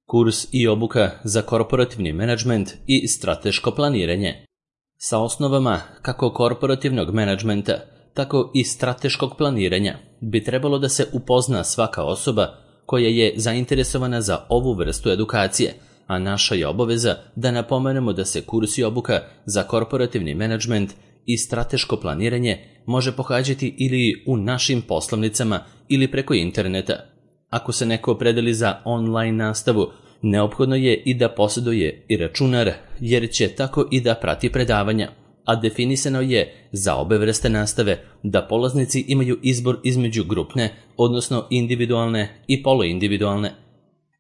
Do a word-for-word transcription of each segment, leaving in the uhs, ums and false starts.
Kurs i obuka za korporativni menadžment i strateško planiranje. Sa osnovama kako korporativnog menadžmenta, tako i strateškog planiranja bi trebalo da se upozna svaka osoba koja je zainteresovana za ovu vrstu edukacije, a naša je obaveza da napomenemo da se kurs i obuka za korporativni menadžment i strateško planiranje može pohađati ili u našim poslovnicama ili preko interneta. Ako se neko opredeli za online nastavu, neophodno je i da posjeduje i računar, jer će tako i da prati predavanja, a definisano je za obe vrste nastave da polaznici imaju izbor između grupne, odnosno individualne i poluindividualne.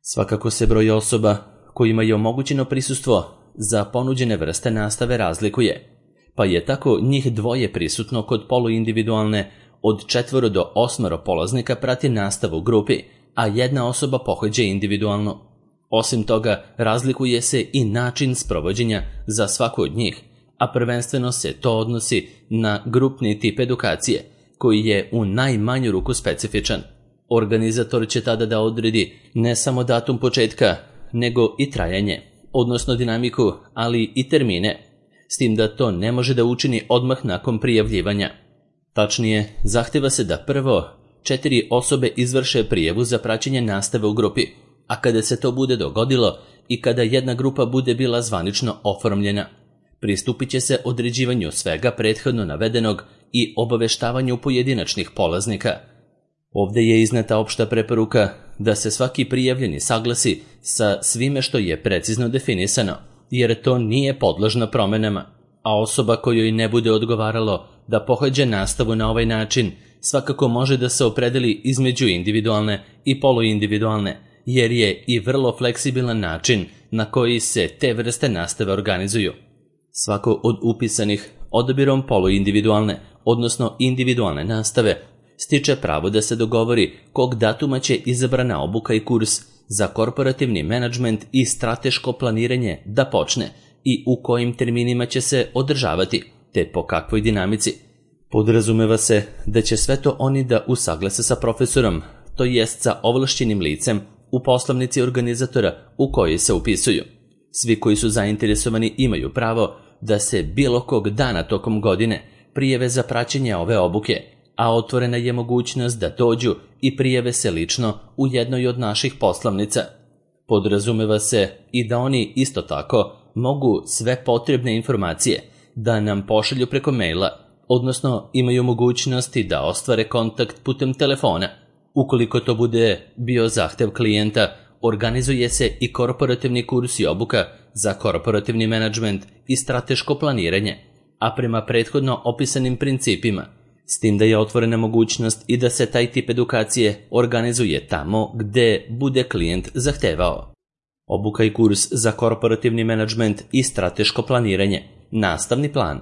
Svakako se broj osoba kojima je omogućeno prisustvo za ponuđene vrste nastave razlikuje, pa je tako njih dvoje prisutno kod poluindividualne, od četvoro do osmoro polaznika prati nastavu u grupi, a jedna osoba pohađa individualno. Osim toga, razlikuje se i način sprovođenja za svaku od njih, a prvenstveno se to odnosi na grupni tip edukacije, koji je u najmanju ruku specifičan. Organizator će tada da odredi ne samo datum početka, nego i trajanje, odnosno dinamiku, ali i termine, s tim da to ne može da učini odmah nakon prijavljivanja. Tačnije, zahteva se da prvo četiri osobe izvrše prijavu za praćenje nastave u grupi, a kada se to bude dogodilo i kada jedna grupa bude bila zvanično oformljena, pristupit će se određivanju svega prethodno navedenog i obaveštavanju pojedinačnih polaznika. Ovde je izneta opšta preporuka da se svaki prijavljeni saglasi sa svime što je precizno definisano, jer to nije podložno promenama, a osoba kojoj ne bude odgovaralo da pohađa nastavu na ovaj način svakako može da se opredeli između individualne i poluindividualne, jer je i vrlo fleksibilan način na koji se te vrste nastave organizuju. Svako od upisanih odabirom poluindividualne, odnosno individualne nastave, stiče pravo da se dogovori kog datuma će izabrana obuka i kurs za korporativni menadžment i strateško planiranje da počne i u kojim terminima će se održavati, te po kakvoj dinamici. Podrazumeva se da će sve to oni da usaglase sa profesorom, to jest sa ovlašćenim licem u poslovnici organizatora u kojoj se upisuju. Svi koji su zainteresovani imaju pravo da se bilo kog dana tokom godine prijave za praćenje ove obuke, a otvorena je mogućnost da dođu i prijave se lično u jednoj od naših poslovnica. Podrazumeva se i da oni isto tako mogu sve potrebne informacije da nam pošalju preko maila, odnosno imaju mogućnosti da ostvare kontakt putem telefona. Ukoliko to bude bio zahtev klijenta, organizuje se i korporativni kurs i obuka za korporativni menadžment i strateško planiranje, a prema prethodno opisanim principima, s tim da je otvorena mogućnost i da se taj tip edukacije organizuje tamo gde bude klijent zahtevao. Obuka i kurs za korporativni menadžment i strateško planiranje, nastavni plan.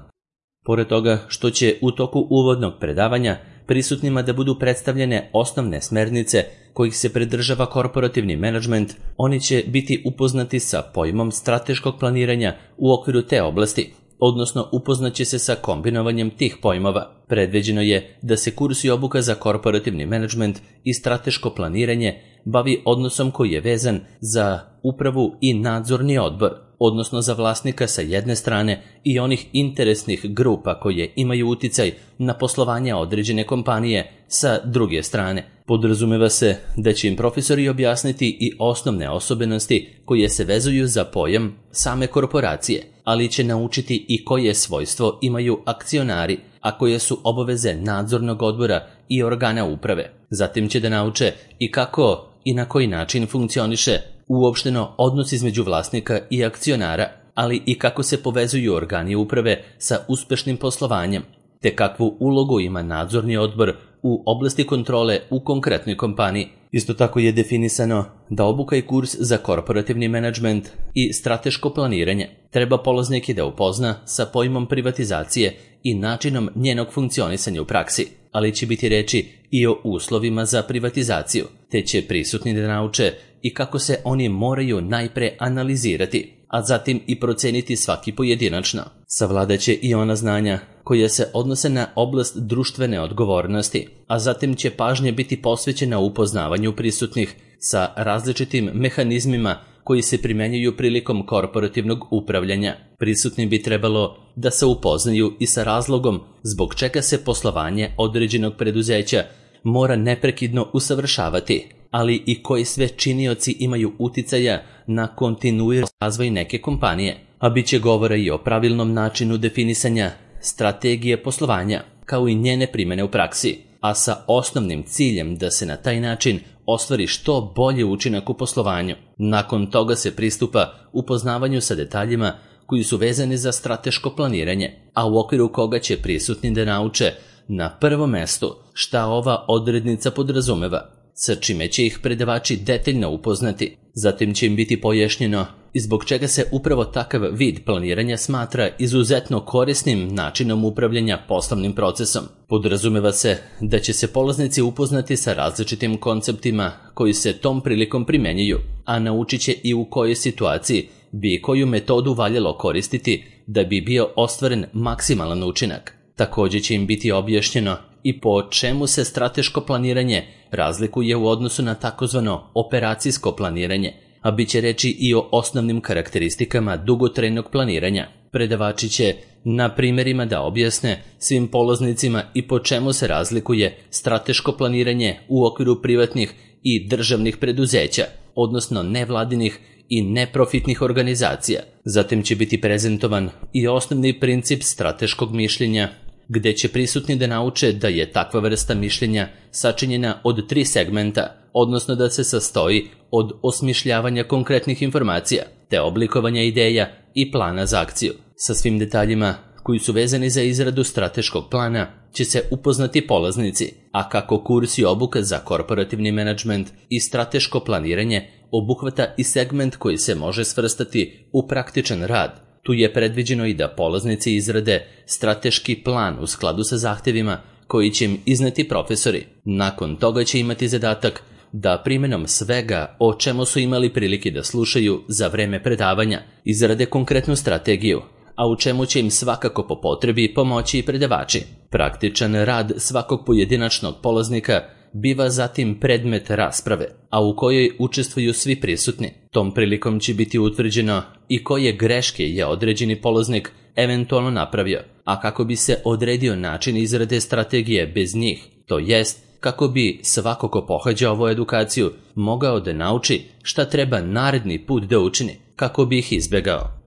Pored toga što će u toku uvodnog predavanja prisutnima da budu predstavljene osnovne smernice kojih se pridržava korporativni menadžment, oni će biti upoznati sa pojmom strateškog planiranja u okviru te oblasti, odnosno upoznaće se sa kombinovanjem tih pojmova. Predviđeno je da se kurs i obuka za korporativni menadžment i strateško planiranje bavi odnosom koji je vezan za upravu i nadzorni odbor, odnosno za vlasnika sa jedne strane i onih interesnih grupa koje imaju uticaj na poslovanje određene kompanije sa druge strane. Podrazumeva se da će im profesori objasniti i osnovne osobenosti koje se vezuju za pojam same korporacije, ali će naučiti i koje svojstvo imaju akcionari, a koje su obaveze nadzornog odbora i organa uprave. Zatim će da nauče i kako i na koji način funkcioniše uopšteno odnos između vlasnika i akcionara, ali i kako se povezuju organi uprave sa uspešnim poslovanjem, te kakvu ulogu ima nadzorni odbor u oblasti kontrole u konkretnoj kompaniji. Isto tako je definisano da obuka i kurs za korporativni menadžment i strateško planiranje treba polaznike da upozna sa pojmom privatizacije i načinom njenog funkcionisanja u praksi, ali će biti reči i o uslovima za privatizaciju, te će prisutni da nauče i kako se oni moraju najpre analizirati, a zatim i proceniti svaki pojedinačno. Savladaće i ona znanja koja se odnose na oblast društvene odgovornosti, a zatim će pažnje biti posvećena upoznavanju prisutnih sa različitim mehanizmima koji se primenjuju prilikom korporativnog upravljanja. Prisutni bi trebalo da se upoznaju i sa razlogom zbog čega se poslovanje određenog preduzeća mora neprekidno usavršavati, ali i koji sve činioci imaju uticaja na kontinuirani razvoj neke kompanije, a bit će govora i o pravilnom načinu definisanja strategije poslovanja, kao i njene primene u praksi, a sa osnovnim ciljem da se na taj način ostvari što bolji učinak u poslovanju. Nakon toga se pristupa upoznavanju sa detaljima koji su vezani za strateško planiranje, a u okviru koga će prisutni da nauče na prvom mestu šta ova odrednica podrazumeva, sa čime će ih predavači detaljno upoznati. Zatim će im biti pojašnjeno i zbog čega se upravo takav vid planiranja smatra izuzetno korisnim načinom upravljanja poslovnim procesom. Podrazumeva se da će se polaznici upoznati sa različitim konceptima koji se tom prilikom primenjuju, a naučit će i u kojoj situaciji bi koju metodu valjalo koristiti da bi bio ostvaren maksimalan učinak. Također će im biti objašnjeno i po čemu se strateško planiranje razlikuje u odnosu na takozvano operacijsko planiranje, a bit će reći i o osnovnim karakteristikama dugotrajnog planiranja. Predavači će na primjerima da objasne svim polaznicima i po čemu se razlikuje strateško planiranje u okviru privatnih i državnih preduzeća, odnosno nevladinih i neprofitnih organizacija. Zatim će biti prezentovan i osnovni princip strateškog mišljenja, gde će prisutni da nauče da je takva vrsta mišljenja sačinjena od tri segmenta, odnosno da se sastoji od osmišljavanja konkretnih informacija, te oblikovanja ideja i plana za akciju. Sa svim detaljima koji su vezani za izradu strateškog plana će se upoznati polaznici, a kako kurs i obuka za korporativni menadžment i strateško planiranje obuhvata i segment koji se može svrstati u praktičan rad, tu je predviđeno i da polaznici izrade strateški plan u skladu sa zahtevima koji će im izneti profesori. Nakon toga će imati zadatak da primjenom svega o čemu su imali prilike da slušaju za vreme predavanja izrade konkretnu strategiju, a u čemu će im svakako po potrebi pomoći i predavači. Praktičan rad svakog pojedinačnog polaznika biva zatim predmet rasprave, a u kojoj učestvuju svi prisutni. Tom prilikom će biti utvrđeno i koje greške je određeni polaznik eventualno napravio, a kako bi se odredio način izrade strategije bez njih, to jest kako bi svako ko pohađa ovu edukaciju mogao da nauči šta treba naredni put da učini, kako bi ih izbjegao.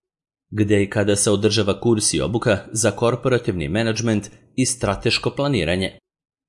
Gde i kada se održava kurs i obuka za korporativni menadžment i strateško planiranje.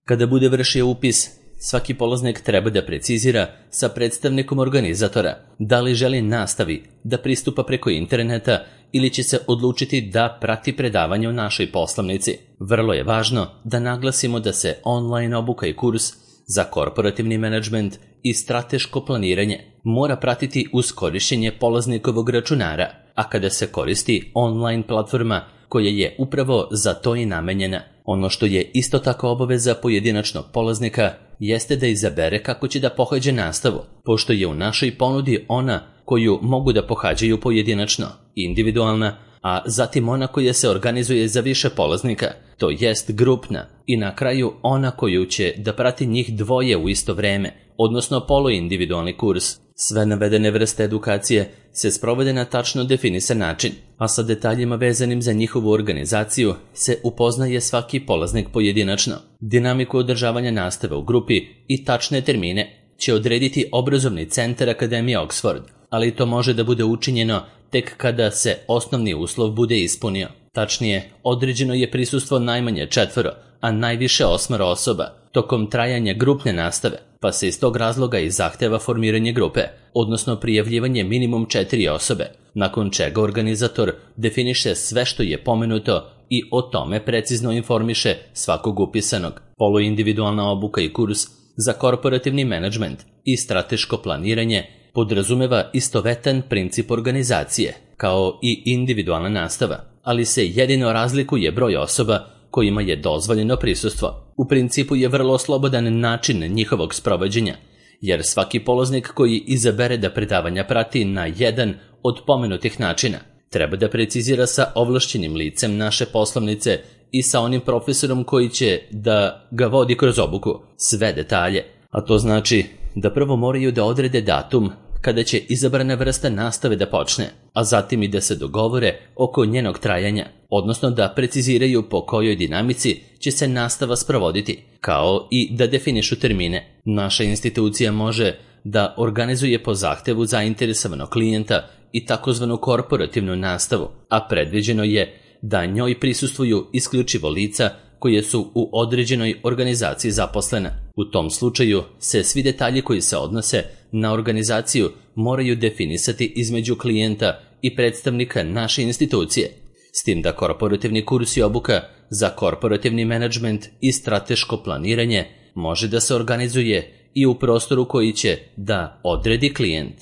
Kada bude vršio upis, svaki polaznik treba da precizira sa predstavnikom organizatora da li želi nastavi da pristupa preko interneta ili će se odlučiti da prati predavanje u našoj poslovnici. Vrlo je važno da naglasimo da se online obuka i kurs za korporativni menadžment i strateško planiranje mora pratiti uz korišćenje polaznikovog računara, a kada se koristi online platforma koja je upravo za to i namenjena. Ono što je isto tako obaveza pojedinačnog polaznika jeste da izabere kako će da pohađa nastavu, pošto je u našoj ponudi ona koju mogu da pohađaju pojedinačno, individualna, a zatim ona koja se organizuje za više polaznika, to jest grupna, i na kraju ona koju će da prati njih dvoje u isto vreme, odnosno poluindividualni kurs. Sve navedene vrste edukacije se sprovode na tačno definisan način, a sa detaljima vezanim za njihovu organizaciju se upoznaje svaki polaznik pojedinačno. Dinamiku održavanja nastave u grupi i tačne termine će odrediti obrazovni centar Akademije Oxford, ali to može da bude učinjeno tek kada se osnovni uslov bude ispunio. Tačnije, određeno je prisustvo najmanje četvoro, a najviše osmoro osoba tokom trajanja grupne nastave, pa se iz tog razloga i zahteva formiranje grupe, odnosno prijavljivanje minimum četiri osobe, nakon čega organizator definiše sve što je pomenuto i o tome precizno informiše svakog upisanog. Poluindividualna obuka i kurs za korporativni menadžment i strateško planiranje podrazumeva istovetan princip organizacije, kao i individualna nastava, ali se jedino razlikuje broj osoba kojima je dozvoljeno prisustvo. U principu je vrlo slobodan način njihovog sprovođenja, jer svaki polaznik koji izabere da predavanja prati na jedan od pomenutih načina treba da precizira sa ovlašćenim licem naše poslovnice i sa onim profesorom koji će da ga vodi kroz obuku sve detalje, a to znači da prvo moraju da odrede datum kada će izabrana vrsta nastave da počne, a zatim i da se dogovore oko njenog trajanja, odnosno da preciziraju po kojoj dinamici će se nastava sprovoditi, kao i da definišu termine. Naša institucija može da organizuje po zahtevu zainteresovanog klijenta i takozvanu korporativnu nastavu, a predviđeno je da njoj prisustvuju isključivo lica koje su u određenoj organizaciji zaposlena. U tom slučaju se svi detalji koji se odnose na organizaciju moraju definisati između klijenta i predstavnika naše institucije, s tim da korporativni kurs i obuka za korporativni menadžment i strateško planiranje može da se organizuje i u prostoru koji će da odredi klijent.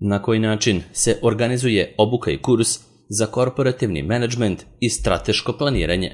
Na koji način se organizuje obuka i kurs za korporativni menadžment i strateško planiranje?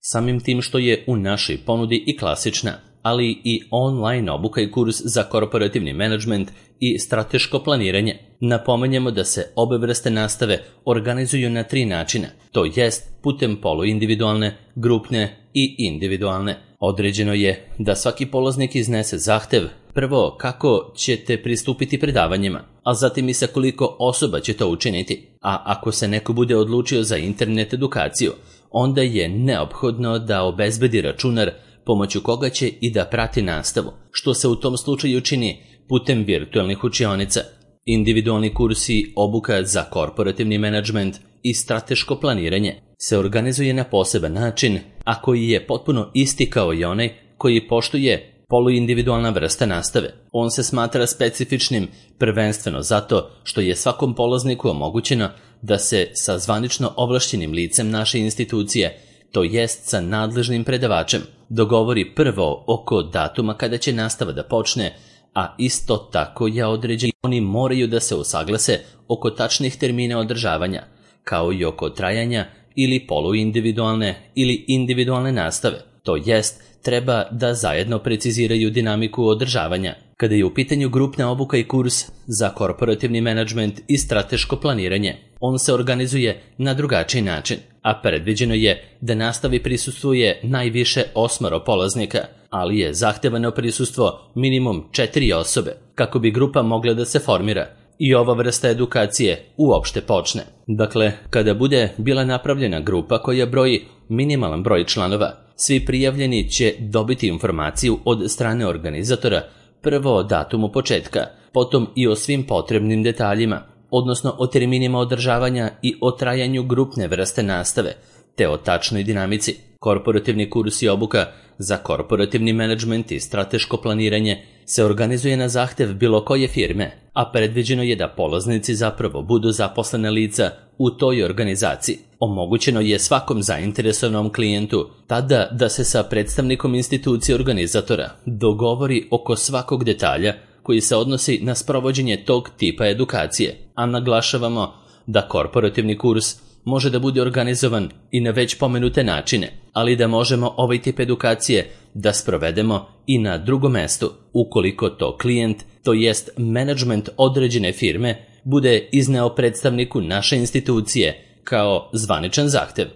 Samim tim što je u našoj ponudi i klasična, ali i online obuka i kurs za korporativni menadžment i strateško planiranje, napomenjemo da se obe vrste nastave organizuju na tri načina, to jest putem poluindividualne, grupne i individualne. Određeno je da svaki polaznik iznese zahtev, prvo kako ćete pristupiti predavanjima, a zatim i sa koliko osoba će to učiniti. A ako se neko bude odlučio za internet edukaciju, onda je neophodno da obezbedi računar pomoću koga će i da prati nastavu, što se u tom slučaju čini putem virtualnih učionica. Individualni kursi obuka za korporativni menadžment i strateško planiranje se organizuje na poseban način, a koji je potpuno isti kao i onaj koji poštuje poluindividualna vrsta nastave. On se smatra specifičnim prvenstveno zato što je svakom polazniku omogućeno da se sa zvanično ovlašćenim licem naše institucije, to jest sa nadležnim predavačem, dogovori prvo oko datuma kada će nastava da počne, a isto tako je određeno oni moraju da se usaglase oko tačnih termina održavanja, kao i oko trajanja ili poluindividualne ili individualne nastave, to jest treba da zajedno preciziraju dinamiku održavanja. Kada je u pitanju grupna obuka i kurs za korporativni menadžment i strateško planiranje, on se organizuje na drugačiji način, a predviđeno je da nastavi prisustvuje najviše osmoro polaznika, ali je zahtevano prisustvo minimum četiri osobe, kako bi grupa mogla da se formira i ova vrsta edukacije uopšte počne. Dakle, kada bude bila napravljena grupa koja broji minimalan broj članova, svi prijavljeni će dobiti informaciju od strane organizatora, prvo o datumu početka, potom i o svim potrebnim detaljima, odnosno o terminima održavanja i o trajanju grupne vrste nastave, te o tačnoj dinamici. Korporativni kurs i obuka za korporativni menadžment i strateško planiranje se organizuje na zahtev bilo koje firme, a predviđeno je da polaznici zapravo budu zaposlene lica u toj organizaciji. Omogućeno je svakom zainteresovanom klijentu tada da se sa predstavnikom institucije organizatora dogovori oko svakog detalja koji se odnosi na sprovođenje tog tipa edukacije, a naglašavamo da korporativni kurs može da bude organizovan i na već pomenute načine, ali da možemo ovaj tip edukacije da sprovedemo i na drugom mestu, ukoliko to klijent, to jest menadžment određene firme, bude izneo predstavniku naše institucije kao zvaničan zahtev.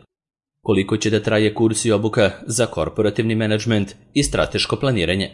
Koliko će da traje kurs i obuka za korporativni menadžment i strateško planiranje?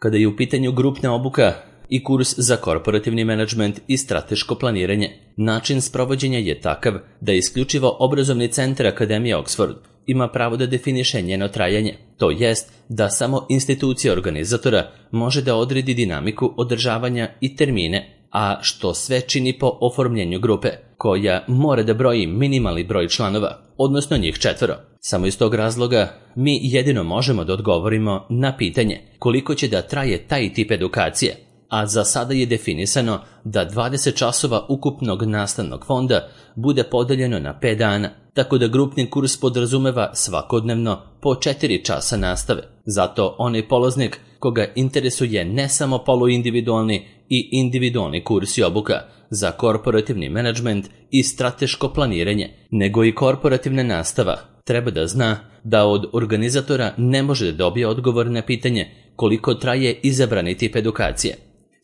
Kada je u pitanju grupna obuka i kurs za korporativni menadžment i strateško planiranje, način sprovođenja je takav da isključivo obrazovni centar Akademije Oxford ima pravo da definiše njeno trajanje, to jest da samo institucija organizatora može da odredi dinamiku održavanja i termine, a što sve čini po oformljenju grupe, koja mora da broji minimalni broj članova, odnosno njih četvoro. Samo iz tog razloga mi jedino možemo da odgovorimo na pitanje koliko će da traje taj tip edukacije, a za sada je definisano da dvadeset časova ukupnog nastavnog fonda bude podeljeno na pet dana, tako da grupni kurs podrazumeva svakodnevno po četiri časa nastave. Zato onaj polaznik koga interesuje ne samo poluindividualni i individualni kurs i obuka za korporativni menadžment i strateško planiranje, nego i korporativna nastava, treba da zna da od organizatora ne može da dobije odgovor na pitanje koliko traje izabrani tip edukacije.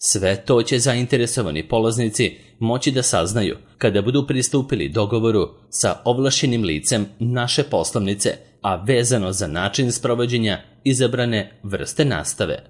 Sve to će zainteresovani polaznici moći da saznaju kada budu pristupili dogovoru sa ovlašćenim licem naše poslovnice, a vezano za način sprovođenja izabrane vrste nastave.